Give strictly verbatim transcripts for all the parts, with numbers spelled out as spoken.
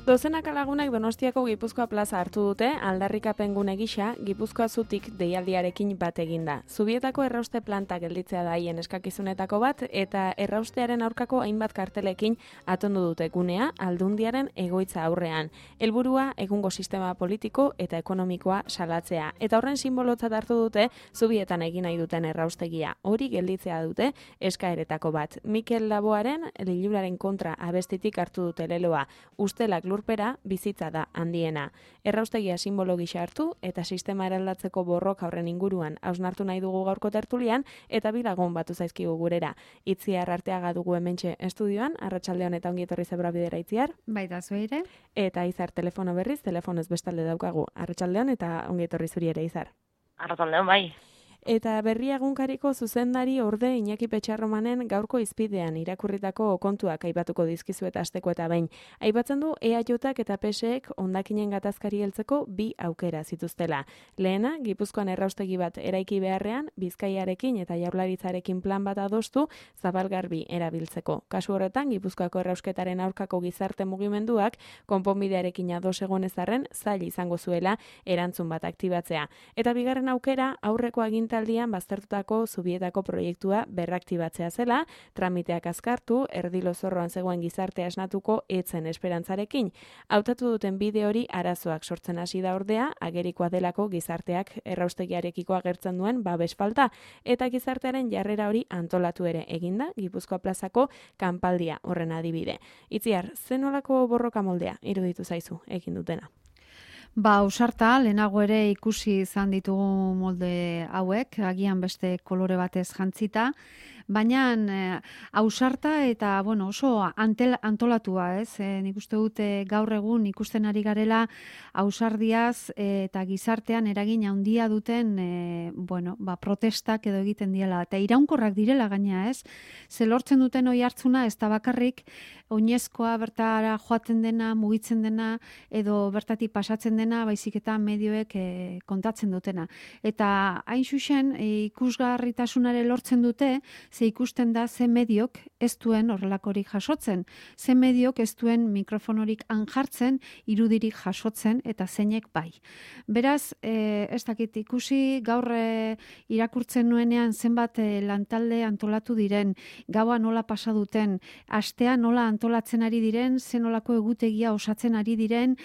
Dozenaka lagunak Donostiako Gipuzkoa plaza hartu dute aldarrikapen gune gisa Gipuzkoa zutik deialdiarekin bat eginda. Zubietako errauste planta gelditzea da haien eskakizunetako bat eta erraustearen aurkako hainbat kartelekin atondu dute gunea Aldundiaren egoitza aurrean. Helburua egungo sistema politiko eta ekonomikoa salatzea eta horren simbolotzat hartu dute Zubietan egin nahi duten erraustegia. Hori gelditzea dute eskaeretako bat. Mikel Laboaren liluraren kontra abestitik hartu dute leloa. Ustelak lurpera bizitza da handiena. Erraustegia simbolo gisa hartu eta sistema eraldatzeko borroka horren inguruan hausnartu nahi dugu gaurko tertulian eta bi lagun batu zaizkigu gurera. Itziar Arteaga dugu hementxe estudioan, arratsaldeon eta ongi etorri Zebra Bidera Itziar. Baita zueire. Eta Izar telefono berriz, telefonoz bestalde daukagu. Arratsaldeon eta ongi etorri zuri ere Izar. Arratsaldeon bai. Eta Berria egunkariko zuzendari orde Iñaki Petxarromanen gaurko izpidean irakurritako kontuak aipatuko dizkizuet asteko eta behin. Aipatzen du E A Jk eta P S ek hondakinen gatazkari heltzeko bi aukera zituztela. Lehena, Gipuzkoan erraustegi bat eraiki beharrean, Bizkaiarekin eta Jaurlaritzarekin plan bat adostu zabalgarbi erabiltzeko. Kasu horretan, Gipuzkoako errausketaren aurkako gizarte mugimenduak konponbidearekin ados egon ezarren zail izango zuela erantzun bat aktibatzea. Eta bigarren aukera, aurreko aginta aldian baztertutako Zubietako proiektua berraktibatzea zela, tramiteak azkartu, erdilo zorroan zegoen gizartea esnatuko etzen esperantzarekin. Hautatu duten bide hori arazoak sortzen hasi da ordea, agerikoa delako gizarteak erraustegiarekiko agertzen duen babes falta, eta gizartearen jarrera hori antolatu ere eginda, Gipuzkoa plazako kanpaldia horren adibide. Itziar, zenolako borroka moldea iruditu zaizu egin dutena? Ba, ausarta, lehenago ere ikusi izan ditugu molde hauek, agian beste kolore batez jantzita, baina eh, ausarta eta bueno, oso antel, antolatua, ez? E, nik uste dute gaur egun ikusten ari garela ausardiaz e, eta gizartean eragin handia duten e, bueno, ba, protestak edo egiten diela. Eta iraunkorrak direla gaina, ez? Ze lortzen duten oi hartzuna ez da bakarrik oinezkoa bertara joaten dena, mugitzen dena edo bertatik pasatzen dena, baizik eta medioek e, kontatzen dutena. Eta hain xuxen e, ikusgarritasunare lortzen dute, ze ikusten da ze mediok ez duen horrelakorik jasotzen, ze mediok ez duen mikrofonorik anjartzen, irudirik jasotzen eta zeinek bai. Beraz, e, ez dakit ikusi gaur e, irakurtzen nuenean zenbat e, lantalde antolatu diren, gaua nola pasa duten, astea nola antolatzen ari diren, zenolako egutegia osatzen ari diren,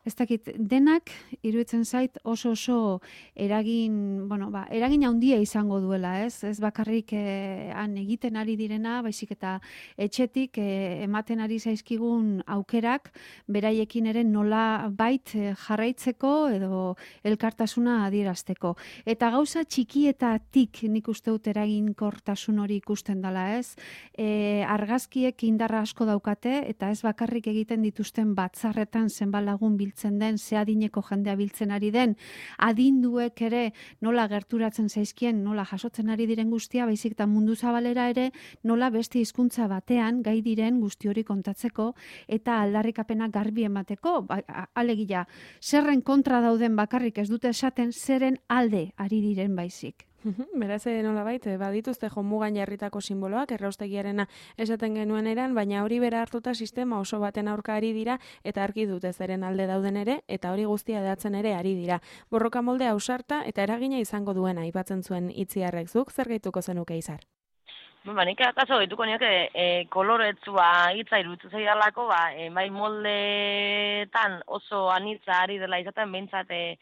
ez dakit, denak iruditzen zait oso oso eragin, bueno, ba, eragin handia izango duela, ez? Ez bakarrik eh, han egiten ari direna, baizik eta etxetik eh, ematen ari zaizkigun aukerak, beraiekin ere nola bait eh, jarraitzeko edo elkartasuna adierazteko. Eta gauza txikietatik nik uste dut eraginkortasun hori ikusten dela, ez? E, argazkiek indarra asko daukate, eta ez bakarrik egiten dituzten batzarretan zenbat lagun biltzen den, ze adineko jendea biltzen ari den, adinduek ere nola gerturatzen zaizkien, nola jasotzen ari diren guztia, baizik eta mundu zabalera ere nola beste hizkuntza batean gai diren guzti hori kontatzeko eta aldarrikapena garbi emateko, ba, alegia, zerren kontra dauden bakarrik ez dute esaten, zeren alde ari diren baizik. Beraz, nolabait, badituzte jomugan jarritako simboloak, erraustegiarena esaten genuen eran, baina hori bera hartuta sistema oso baten aurka ari dira, eta argi dute zeren alde dauden ere, eta hori guztia edatzen ere ari dira. Borroka molde ausarta eta eragina izango duena, aipatzen zuen Itziarrek, zuk zer gehituko zenuke Izar? Ba, nik akaso gehituko nioke e, koloretsua hitza iruditu zaidalako, ba, e, bai moldeetan oso anitza ari dela izaten, behintzat, e,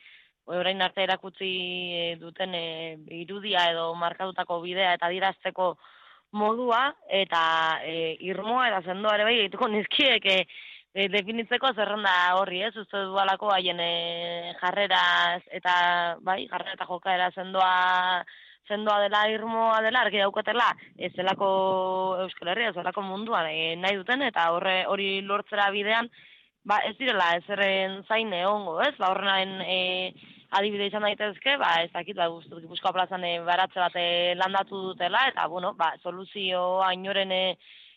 orain arte erakutsi duten e, irudia edo markatutako bidea eta adierazteko modua eta e, irmoa eta sendoa ere bai egituko nizkiek e, e, definitzeko zerrenda horri, ez? Uste dualako haien e, jarreraz eta bai, jarrera eta jokaera sendoa sendoa dela, irmoa dela, argi daukatela, ez zelako Euskal Herria, ez zelako munduan e, nahi duten, eta horre hori lortzera bidean, ba, ez direla, ez erren zain egongo, ez? Ba, horren e, adibide izan daitezke, ba, ez dakit, ba, Gipuzkoa plazan e, baratze bat e, landatu dutela, eta, bueno, ba, soluzioa inoren e,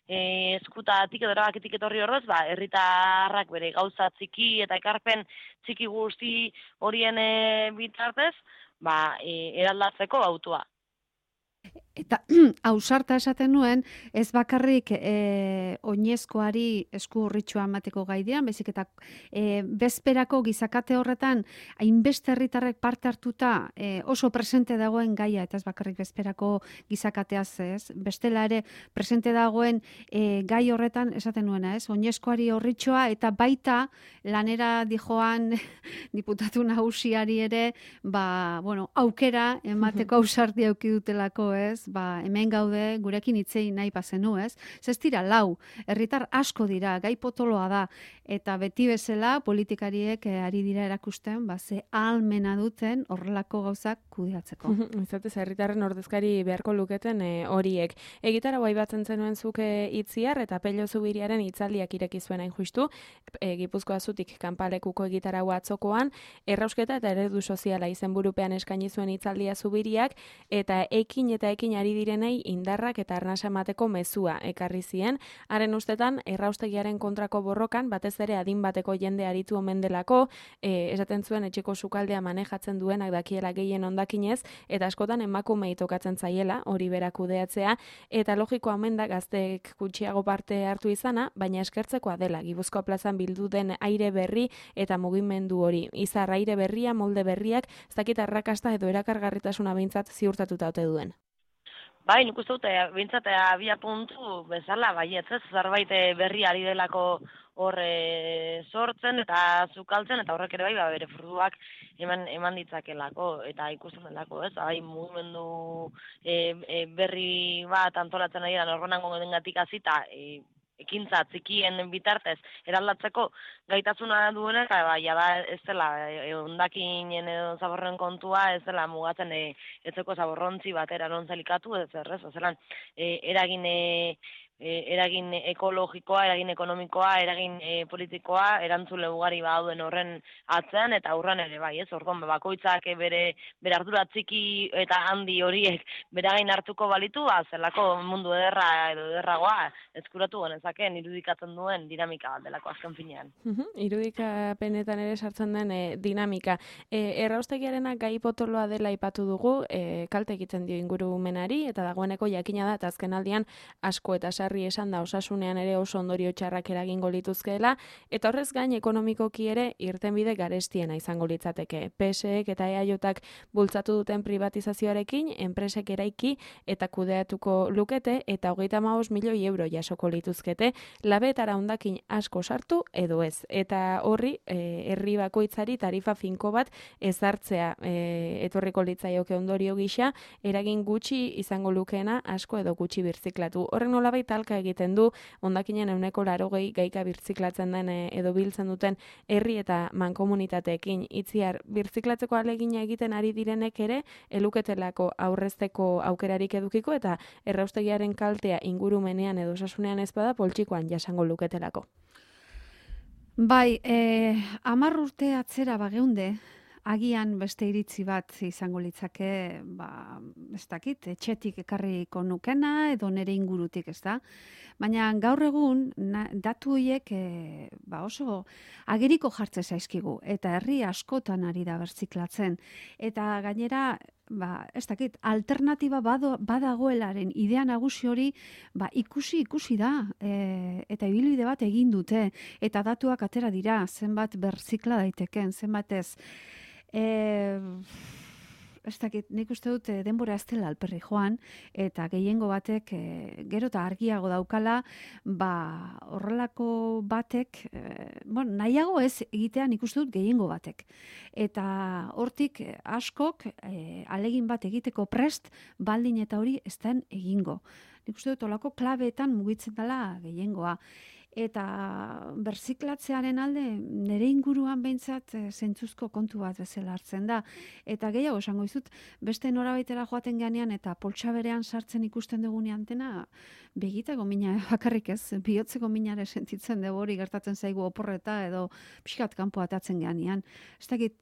e, eskutatik edo erabakitik etorri horrez, ba, herritarrak bere gauza txiki eta ekarpen txiki guzti horien e, bitartez, ba, e, eraldatzeko autua. Eta ausarta esaten nuen, ez bakarrik e, oinezkoari esku urritxua emateko gaidean, bezik eta e, bezperako gizakate horretan, hainbeste herritarrek parte hartuta e, oso presente dagoen gaia, eta ez bakarrik bezperako gizakateaz ez, bestela ere presente dagoen e, gai horretan esaten nuena, ez, oinezkoari urritxua, eta baita lanera dijoan diputatu nagusiari ere, ba, bueno, aukera emateko ausardia auki dutelako, ez, ba, hemen gaude gurekin hitzei nahi bazenu, ez? Ez dira lau, herritar asko dira, gai potoloa da, eta beti bezala politikariek eh, ari dira erakusten, ba, ze ahalmena duten horrelako gauzak kudeatzeko. Izatez, herritarren ordezkari beharko luketen eh, horiek. Egitara bai batzen zenuen zuke itziar eta Pello Zubiriaren hitzaldiak ireki zuen hain justu, e, Gipuzkoa zutik kanpalekuko egitarau atzokoan, errausketa eta eredu soziala izenburupean eskaini zuen hitzaldia Zubiriak, eta ekin eta ekin ari direnei indarrak eta arnasa emateko mezua ekarri zien. Haren ustetan, erraustegiaren kontrako borrokan, batez ere adin bateko jende aritu omen delako, e, esaten zuen etxeko sukaldea manejatzen duenak dakiela gehien ondakinez, eta askotan emakumei tokatzen zaiela, hori berak kudeatzea, eta logikoa omen da gazteek gutxiago parte hartu izana, baina eskertzekoa dela, Gipuzkoa plazan bildu den aire berri eta mugimendu hori. Izar aire berria, molde berriak, ez dakit arrakasta edo erakargarritasuna behintzat ziurtatuta ote duen. Bai, nik uste dute, bintzat, abia puntu bezala, bai, ez ez, zerbait berri ari delako horre sortzen eta zukaltzen, eta horrek ere bai, ba, bere fruituak eman, eman ditzakelako, eta ikusten delako, ez, bai, mugimendu e, e, berri bat antolatzen ari da, norronango dengatik azita, e, ekintza txikien bitartez eraldatzeko gaitasuna duenak, ba, ja ez dela hondakinen edo zaborren kontua, ez dela mugatzen e, etzeko zaborrontzi batera non zalikatu, ez errez, zelan e, eragin e, eragin ekologikoa, eragin ekonomikoa, eragin e, politikoa, erantzule ugari bauden horren atzean, eta aurran ere bai, ez, orduan, bakoitzak bere, bere ardura txiki eta handi horiek beragain hartuko balitu, ba, zelako mundu ederra edo ederragoa eskuratu genezakeen irudikatzen duen dinamika bat delako azken finean. Uh-huh. Irudikapenetan ere sartzen den e, dinamika. E, erraustegiarena gai potoloa dela aipatu dugu, e, kalte egiten dio ingurumenari, eta dagoeneko jakina da, eta azken aldian asko eta sarri esan da osasunean ere oso ondorio txarrak eragingo lituzkeela, eta horrez gain ekonomikoki ere irtenbide garestiena izango litzateke. P S ek eta E A Jak bultzatu duten privatizazioarekin, enpresek eraiki eta kudeatuko lukete, eta hogeita hamabost milioi euro jasoko lituzkete, labetara hondakin asko sartu edo ez. Eta horri, e, herri bakoitzari tarifa finko bat ezartzea e, etorriko litzaioke ondorio gisa, eragin gutxi izango lukeena asko edo gutxi birziklatu. Horren nolabait talka egiten du, hondakinen ehuneko laurogei gaika birziklatzen den edo biltzen duten herri eta mankomunitateekin. Itziar, birziklatzeko ahalegina egiten ari direnek ere, eluketelako aurrezteko aukerarik edukiko, eta erraustegiaren kaltea ingurumenean edo osasunean ez bada poltsikoan jasango luketelako. Bai, eh, hamar urte atzera bageunde, agian beste iritzi bat izango litzake, ba, ez dakit, etxetik ekarriko nukena edo nere ingurutik, ez da? Baina gaur egun na, datu horiek e, ba oso ageriko jartze zaizkigu, eta herri askotan ari da berziklatzen. Eta gainera, ba, ez dakit, alternatiba bado, badagoelaren idea nagusi hori, ba, ikusi ikusi da, e, eta ibilbide bat egin dute, eta datuak atera dira, zenbat berzikla daiteken, zenbat ez. E, ez dakit, nik uste dut denbora ez dela alperri joan, eta gehiengo batek e, gero eta argiago daukala, ba, horrelako batek, e, bueno, nahiago ez egitean nik uste dut gehiengo batek. Eta hortik askok e, alegin bat egiteko prest, baldin eta hori ez den egingo. Nik uste dut olako klabeetan mugitzen dela gehiengoa. eta berziklatzearen alde nire inguruan behintzat zentzuzko kontu bat bezala hartzen da. Eta gehiago esango dizut, beste norabaitera joaten ganean eta poltsa berean sartzen ikusten dugunean dena, begitako mina bakarrik ez, bihotzeko minare sentitzen dugu hori gertatzen zaigu oporreta edo pixkat kanpo atatzen ganean. Ez dakit,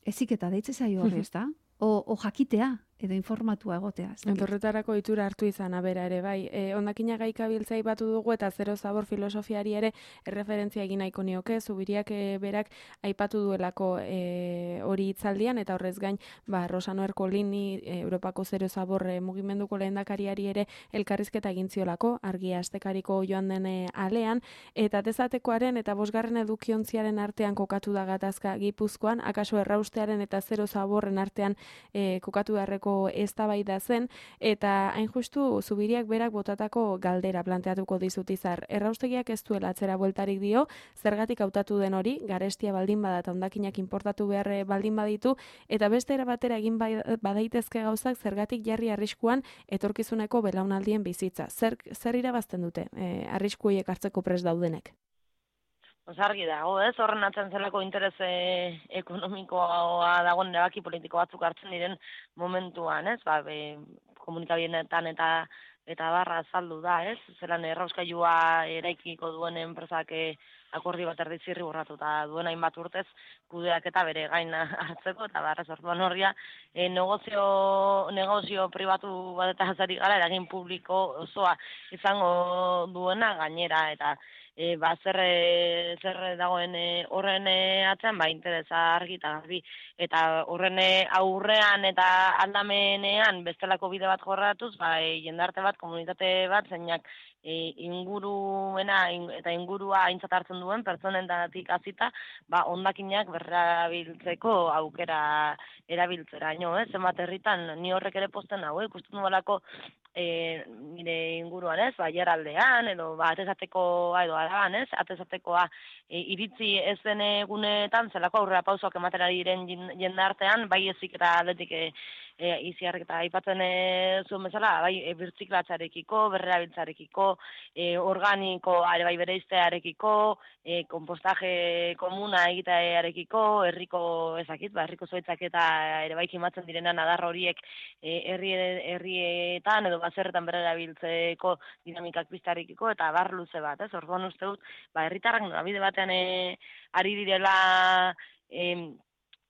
eziketa deitze zaio horri, ez da? O, o jakitea, edo informatua egotea. Horretarako itura hartu izan, abera ere, bai. E, ondakina gaika biltzai batu dugu eta zero zabor filosofiari ere erreferentzia egin nahiko nioke, Zubiriak e, berak aipatu duelako e, hori hitzaldian, eta horrez gain, ba, Rosano Erkolini, e, Europako zero zabor e, mugimenduko lehendakariari ere elkarrizketa egin ziolako, argia astekariko joan den e, alean, eta tezatekoaren eta bosgarren edukiontziaren artean kokatu da gatazka Gipuzkoan, akaso erraustearen eta zero zaborren artean e, kokatu beharreko eztabaida zen, eta hain justu Zubiriak berak botatako galdera planteatuko dizut Izar. Erraustegiak ez duela atzera bueltarik dio, zergatik hautatu den hori, garestia baldin bada eta hondakinak inportatu behar baldin baditu, eta beste era batera egin badaitezke gauzak zergatik jarri arriskuan etorkizuneko belaunaldien bizitza. Zer, zer irabazten dute e, arrisku horiek hartzeko prest daudenek? Argi dago, ez? Horren atzen zelako interes e, ekonomikoa dagoen erabaki politiko batzuk hartzen diren momentuan, ez? Ba, be, komunikabienetan eta eta barra azaldu da, ez? Zelan errauskailua eraikiko duen enpresak e, akordi bat erdi zirri borratuta duen hainbat urtez kudeak eta bere gain hartzeko, eta barra sortuan horria e, negozio, negozio pribatu bat eta hazari gara eragin publiko osoa izango duena gainera, eta E, ba, zer, e, zer dagoen e, horren e, atzean, ba, interesa argi eta garbi, eta horren e, aurrean eta aldamenean bestelako bide bat jorratuz, ba, e, jendarte bat, komunitate bat, zeinak e, inguruena in, eta ingurua aintzat hartzen duen pertsonen datik azita, ba, hondakinak berrabiltzeko aukera erabiltzera, ino, eh? Zenbat herritan, ni horrek ere posten hau, eh? Ikusten duelako E, nire inguruan, ez, ba, jaraldean, edo, ba, atezatekoa, edo, araban, ez, atezatekoa e, iritzi ez den egunetan, zelako aurrera pausoak ematera diren jendartean, bai ezik eta aldetik e, e, iziarrik eta aipatzen e, zuen bezala, bai, e, birtziklatzarekiko, berrerabiltzarekiko, e, organiko, are bai bereiztearekiko, e, kompostaje komuna egitearekiko, herriko ezakit, ba, herriko zoitzak eta ere bai kimatzen direnan adar horiek e, herri, herrietan, edo bazerretan berrerabiltzeko dinamikak piztarikiko, eta bar luze bat, ez? Orduan uste dut, ba, herritarrak norabide batean e, ari direla e,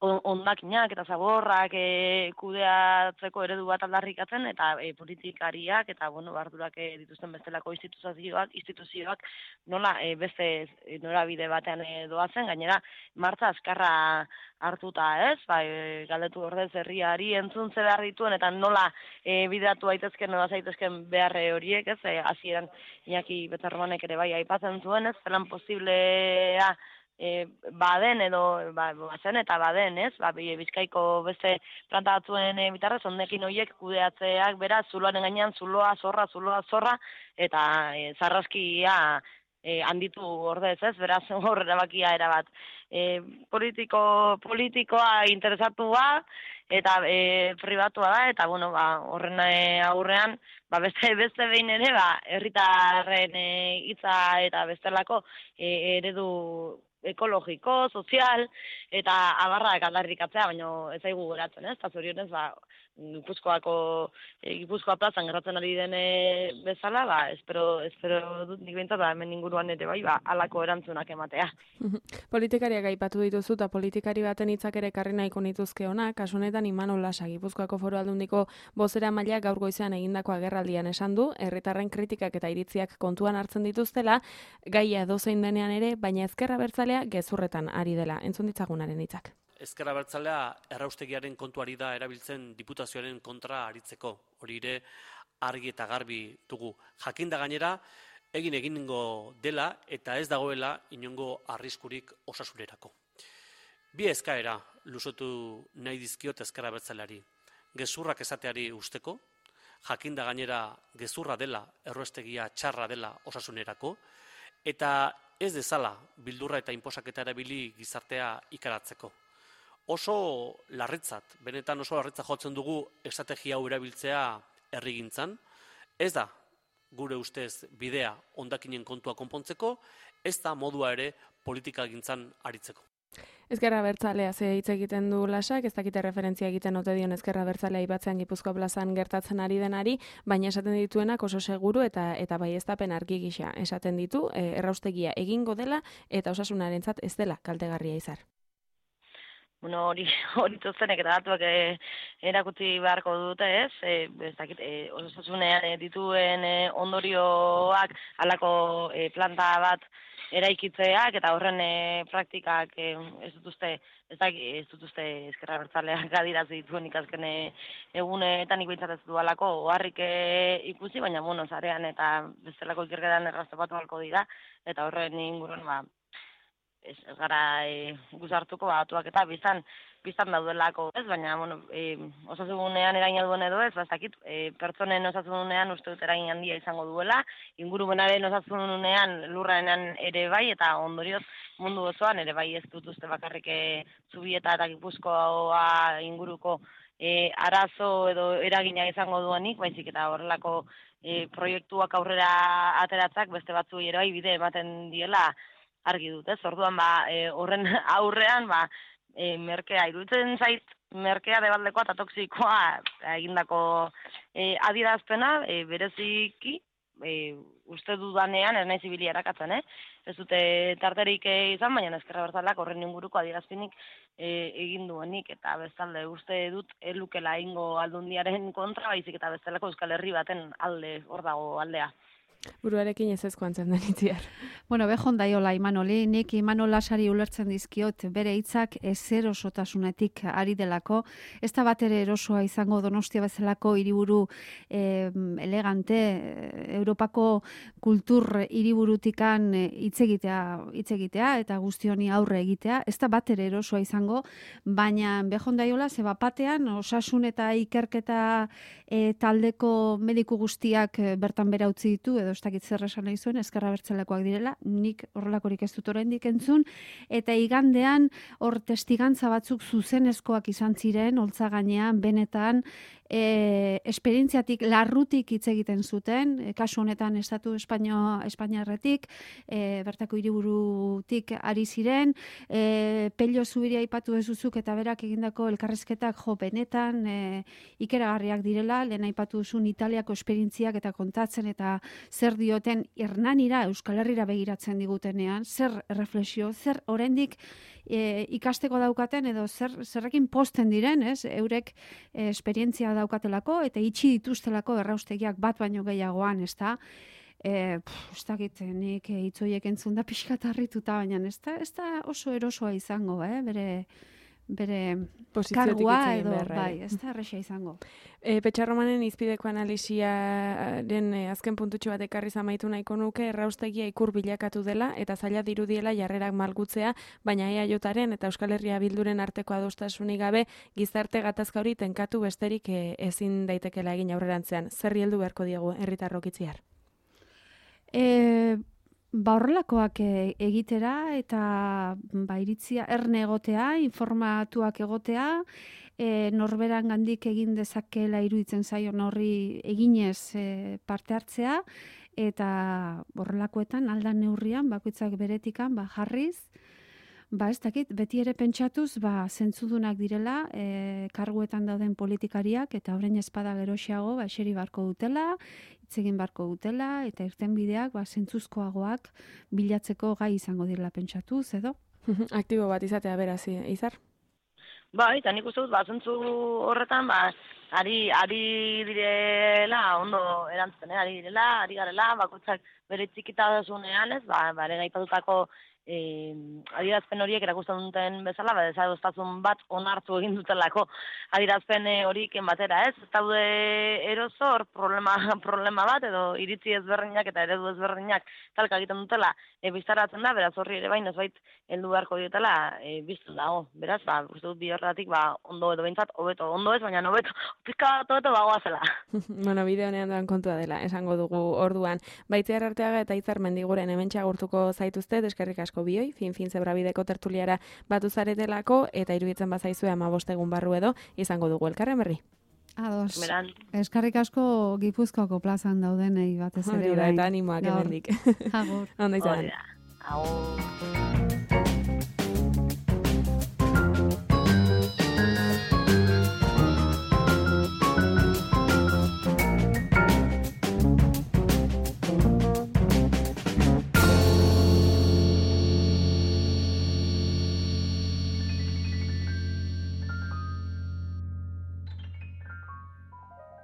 hondakinak eta zaborrak e, kudeatzeko eredu bat aldarrikatzen, eta e, politikariak eta bueno, bardurak e, dituzten bestelako instituzioak, instituzioak nola e, beste e, norabide batean e, doazen, gainera martza azkarra hartuta, ez? Ba, e, galdetu ordez herriari entzuntze behar dituen eta nola e, bideratu daitezken nola zaitezken beharre horiek, ez? E, hasieran Iñaki Betzarromanek ere bai aipatzen zuen, ez? Zelan posiblea E, baden edo ba, bazen eta baden, ez? Ba, Bizkaiko beste planta batzuen e, bitarrez, hondekin horiek kudeatzeak bera, zuloaren gainean zuloa, zorra, zuloa, zorra, eta e, zarraskia e, handitu ordez, ez? Beraz, hor erabakia erabat. E, politiko, politikoa interesatua eta e, pribatua da, eta bueno, ba, horren e, aurrean, ba, beste, beste behin ere, ba, herritarren e, hitza eta bestelako e, eredu ekologiko, sozial, eta abarrak aldarrikatzea, baina ez zaigu geratzen, ez? Eta zorionez, ba, Gipuzkoako, e, Gipuzkoa plazan gertatzen ari dene bezala, ba, espero, espero dut nik behintzat, ba, hemen inguruan ere bai, ba, alako erantzunak ematea. Politikariak aipatu dituzu, eta politikari baten hitzak ere ekarri nahiko nituzke ona, kasu honetan Imanol Lasa, Gipuzkoako Foru Aldundiko bozera maila gaur goizean egindako agerraldian esan du, herritarren kritikak eta iritziak kontuan hartzen dituztela, gaia dozein denean ere, baina ezkerra bertzalea gezurretan ari dela. Entzun ditzagunaren hitzak. Ezker Abertzalea erraustegiaren kontuari da erabiltzen diputazioaren kontra aritzeko. Hori ere argi eta garbi dugu. Jakinda gainera egin egingo dela eta ez dagoela inongo arriskurik osasunerako. Bi eskaera luzotu nahi dizkiot Ezker Abertzaleari. Gezurrak esateari usteko, jakinda gainera gezurra dela, erraustegia txarra dela osasunerako, eta ez dezala bildurra eta inposaketa erabili gizartea ikaratzeko. Oso larritzat, benetan oso larritzat jotzen dugu estrategia hau erabiltzea herrigintzan. Ez da gure ustez bidea hondakinen kontua konpontzeko, ez da modua ere politikagintzan aritzeko. Ezkerra Abertzalea ze hitz egiten du Lasak, ez dakite referentzia egiten ote dion Ezkerra Abertzalea Ibatzean Gipuzkoa plazan gertatzen ari denari, baina esaten dituenak oso seguru eta eta baieztapen argi gisa esaten ditu, e, erraustegia egingo dela eta osasunarentzat ez dela kaltegarria izar. Bueno, hori hori toztenek eta datuak e, erakutsi beharko dute, ez? E, ez dakit, e, osasunean e, dituen e, ondorioak halako e, planta bat eraikitzeak eta horren e, praktikak e, ez dut uste, ez dakit, ez dut uste Ezkerra Abertzaleak adirazi dituen ikazken egunetan nik behintzat ez du alako oharrik e, ikusi, baina bueno, zarean eta bestelako ikerketan erraztopatu halko dira, eta horren inguruan ba, ez, ez gara e, guzartuko batuak eta biztan, biztan daudelako, ez? Baina, bueno, e, osasunean eragina duen edo ez, bastakit, e, pertsonen osasunean uste dut eragin handia izango duela, ingurumenaren osasunean lurraenan ere bai, eta ondorioz mundu osoan ere bai ez dut uste bakarrik e, Zubieta eta Gipuzkoa inguruko e, arazo edo eragina izango duenik, baizik eta horrelako e, proiektuak aurrera ateratzak beste batzu ere bai bide ematen diela argi dut, ez? Orduan ba, e, horren aurrean ba, e, merkea iruditzen zait, merkea debaldekoa eta toksikoa egindako e, adierazpena e, bereziki e, uste dudanean ez naiz ibili erakatzen, eh? Ez dute tarterik izan, baina Ezkerra Abertzaleak horren inguruko adierazpenik e, egin duenik eta bestalde uste dut elukela egingo Aldundiaren kontra, baizik eta bestelako Euskal Herri baten alde hor dago aldea. Buruarekin ez ezko antzen den itziar. Bueno, behon daiola Imanoli, nik Imanol Lasari ulertzen dizkiot bere hitzak ezer osotasunetik ari delako, ez da bat ere erosoa izango Donostia bezalako hiriburu eh, elegante, Europako kultur hiriburutikan hitz egitea, hitz egitea eta guzti honi aurre egitea, ez da bat ere erosoa izango, baina behon daiola ze bapatean osasun eta ikerketa eh, taldeko mediku guztiak bertan bera utzi ditu edo ez dakit zer esan nahi zuen, Ezkerra Abertzalekoak direla, nik horrelakorik ez dut oraindik entzun, eta igandean hor testigantza batzuk zuzenezkoak izan ziren, holtza gainean, benetan, e, esperientziatik larrutik hitz egiten zuten, e, kasu honetan Estatu Espaino, Espainiarretik, e, bertako hiriburutik ari ziren, e, Pello Zubiria aipatu duzuk eta berak egindako elkarrizketak jo benetan e, ikeragarriak direla, lehen aipatu duzun Italiako esperientziak eta kontatzen eta zer dioten Hernanira, Euskal Herrira begiratzen digutenean, zer reflexio, zer oraindik e, ikasteko daukaten edo zer zerrekin posten diren, ez? Eurek e, esperientzia daukatelako eta itxi dituztelako erraustegiak bat baino gehiagoan, ezta? Eh, ez dakit, nik hitzoiek entzun da pixkat harrituta, baina ez da, ez da oso erosoa izango, eh? bere bere kargua edo bai, ez da erresa izango. E, Petxarromanen izpideko analisiaren e, azken puntutxo bat ekarri zamaitu nahiko nuke, erraustegia ikur bilakatu dela eta zaila dirudiela jarrerak malgutzea, baina E A Jaren eta Euskal Herria Bilduren arteko adostasunik gabe gizarte gatazka hori tenkatu besterik e, ezin daitekela egin aurrerantzean. Zerri heldu beharko diegu herritarrok itziar? E, ba horrelakoak egitera eta ba iritzia erne egotea, informatuak egotea, e, norberan gandik egin dezakela iruditzen zaion horri eginez e, parte hartzea, eta horrelakoetan aldan neurrian, bakoitzak beretikan, ba jarriz, ba ez dakit, beti ere pentsatuz, ba zentzudunak direla, e, karguetan dauden politikariak, eta horrein espada geroxiago, ba eseri barko dutela, hitz egin barko dutela, eta irtenbideak, ba zentzuzkoagoak bilatzeko gai izango direla pentsatuz, edo? Aktibo bat izatea beraz, Izar? Bai, eta nik uste dut, ba, zentzu horretan, ba, ari, ari direla, ondo erantzuten, ari direla, ari garela, bakoitzak bere txikitasunean, ez, ba, bare gaipatutako E, adierazpen horiek erakusten duten bezala, ba, desadoztasun bat onartu egin dutelako adierazpen horiken batera, ez? Ez daude eroso hor problema, problema bat, edo iritzi ezberdinak eta eredu ezberdinak talka egiten dutela, e, biztaratzen da, beraz horri ere bain, ez bait, heldu beharko dietela, e, biztu dago. Beraz, ba, uste dut bi horretik, ba, ondo edo behintzat, hobeto, ondo ez, baina hobeto, pizka bat hobeto bagoazela. Bueno, bide honean doan kontua dela, esango dugu orduan. Baitziar Arteaga eta Izar Mendiguren hementxe agurtuko zaituzte, eskerrik asko bioi, fin-fin zebrabideko tertuliara batu zaretelako, eta iruditzen bazaizue hamabost egun barru edo, izango dugu elkarren berri. Ados. Beran. Eskarrik asko Gipuzkoako plazan daudenei batez ere. Hori da, eta animoak hemendik. Agur. Ondo izan. Hori da. Agur.